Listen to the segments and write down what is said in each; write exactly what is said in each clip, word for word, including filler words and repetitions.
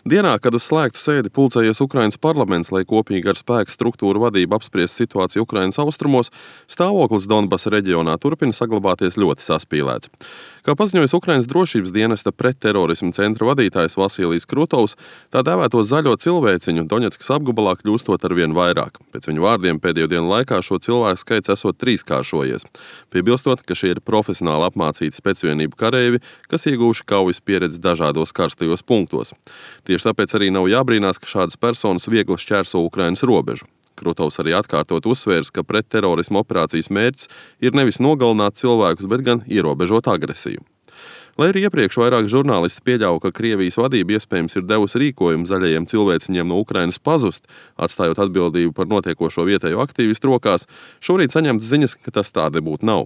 Dienā, kad uz slēgtu sēdi pulcējies Ukrainas parlaments, lai kopīgi ar spēka struktūru vadību apspriest situāciju Ukrainas austrumos, stāvoklis Donbasa reģionā turpina saglabāties ļoti saspīlēts. Kā paziņojis Ukrainas drošības dienesta pretterorisma centra vadītājs Vasilijs Krutovs, tā dēvēto zaļo cilvēciņu Doņetskas apgabalā kļūstot arvien vairāk. Pēc viņu vārdiem pēdējo dienu laikā šo cilvēku skaits esot trīskāršojies. Piebilstot, ka šie ir profesionāli apmācīti specvienību kareivji, kas ieguvuši kaujas pieredzi dažādos karstajos punktos. Tieši tāpēc arī nav jābrīnās, ka šādas personas viegli šķērso Ukrainas robežu. Krutovs arī atkārtot uzsvērs, ka pretterorisma operācijas mērķis ir nevis nogalināt cilvēkus, bet gan ierobežot agresiju. Lai arī iepriekš vairāk žurnālisti pieļauja, ka Krievijas vadība iespējams ir devusi rīkojumu zaļajiem cilvēciņiem no Ukrainas pazust, atstājot atbildību par notiekošo vietējo aktīvistu rokās, šorīt saņemtas ziņas, ka tas tā nebūtu nav.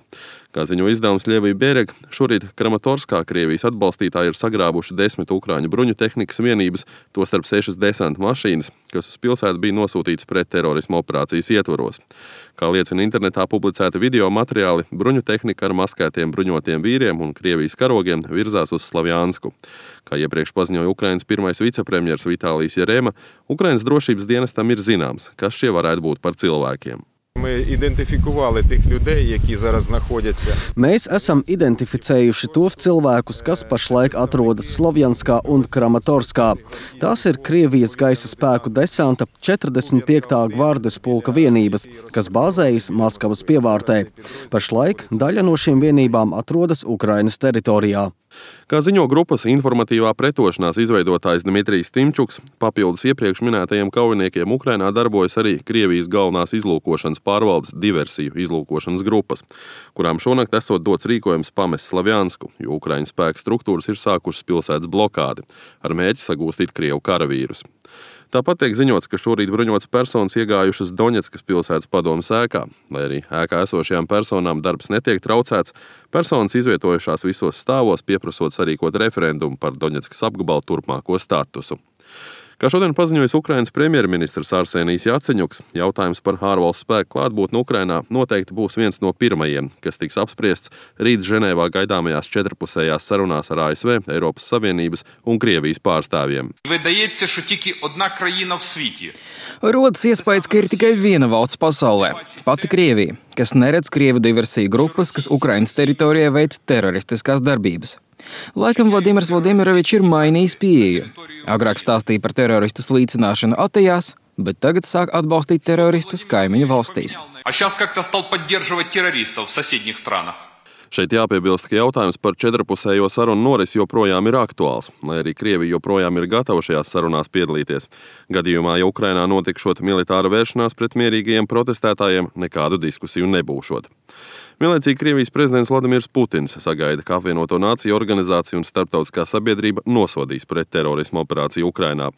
Kā ziņo izdevums Lievija Bierega, šorīt Kramatorskā Krievijas atbalstītāji ir sagrābuši desmit ukrāņu bruņu tehnikas vienības, tostarp sešas desanta mašīnas, kas uz pilsētu bija nosūtītas pretterorisma operācijas ietvaros. Kā liecina internetā publicēti video materiāli, bruņu tehnika ar maskētiem bruņotiem vīriem un Krievijas karogiem virzās uz Slavjansku. Kā iepriekš paziņoja Ukrainas pirmais vicepremjers Vitālijs Jerema, Ukrainas drošības dienestam ir zināms, kas šie varētu būt par cilvēkiem. Mēs esam identificējuši tos cilvēkus, kas pašlaik atrodas Slovjanskā un Kramatorskā. Tās ir Krievijas gaisa spēku desanta četrdesmit piektā gvardes pulka vienības, kas bāzējas Maskavas pievārtē. Pašlaik daļa no šīm vienībām atrodas Ukrainas teritorijā. Kā ziņo grupas informatīvā pretošanās izveidotājs Dmitrijs Timčuks, papildus iepriekš minētajiem kaujiniekiem Ukrainā darbojas arī Krievijas galvenās izlūkošanas pārvaldes diversiju izlūkošanas grupas, kurām šonakt esot dots rīkojums pamest Slavjansku, jo Ukraiņu spēku struktūras ir sākušas pilsētas blokādi, ar mērķi sagūstīt Krievu karavīrus. Tāpat tiek ziņots, ka šorīt bruņotas personas iegājušas Doņetskas pilsētas padomes ēkā. Lai arī ēkā esošajām personām darbs netiek traucēts, personas izvietojušās visos stāvos, pieprasot sarīkot referendumu par Doņetskas apgabalu turpmāko statusu. Kā šodien paziņojis Ukrainas premjerministrs Arsenijs Jaceņuks, jautājums par ārvalstu spēku klātbūtni Ukrainā noteikti būs viens no pirmajiem, kas tiks apspriests rīt Ženēvā gaidāmajās četrpusējās sarunās ar A S V, Eiropas Savienības un Krievijas pārstāvjiem. Rodas iespējas, ka ir tikai viena valsts pasaulē – pati Krievija, kas neredz Krievu diversiju grupas, kas Ukrainas teritorijā veic teroristiskās darbības. Laikam Vladimirs Vladimirovičs ir mainījis pieeju. Agrāk stāstīja par teroristu slīcināšanu Atejās, bet tagad sāk atbalstīt teroristus kaimiņu valstīs. Šeit jāpiebilst, ka jautājums par četrpusējo sarunu norisi joprojām ir aktuāls, lai arī Krievija joprojām ir gatava šajās sarunās piedalīties. Gadījumā, ja Ukrainā notikšot militāra vēršanās pret mierīgajiem protestētājiem, nekādu diskusiju nebūšot. Vienlaicīgi Krievijas prezidents Vladimirs Putins sagaida, ka apvienoto nāciju organizācija un starptautiskā sabiedrība nosodīs pretterorisma operāciju Ukrainā.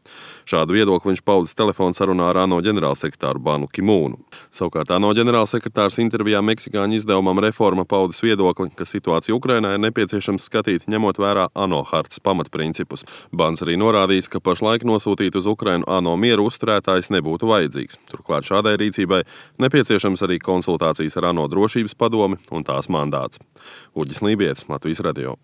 Šādu viedokli viņš paudis telefona sarunā ar ANO ģenerālsekretāru Banu Ki-mūnu. Savukārt ANO ģenerālsekretārs intervijā meksikāņu izdevumam Reforma paudis viedokli, ka situāciju Ukrainā ir nepieciešams skatīt, ņemot vērā ANO hartas pamatprincipus. Bans arī norādījis, ka pašlaik nosūtīt uz Ukrainu ANO mieru uzturētājs nebūtu vajadzīgs. Turklāt šādai rīcībai nepieciešams arī konsultācijas ar ANO drošības padomi un tās mandāts. Uģis Lībietis, Latvijas radio.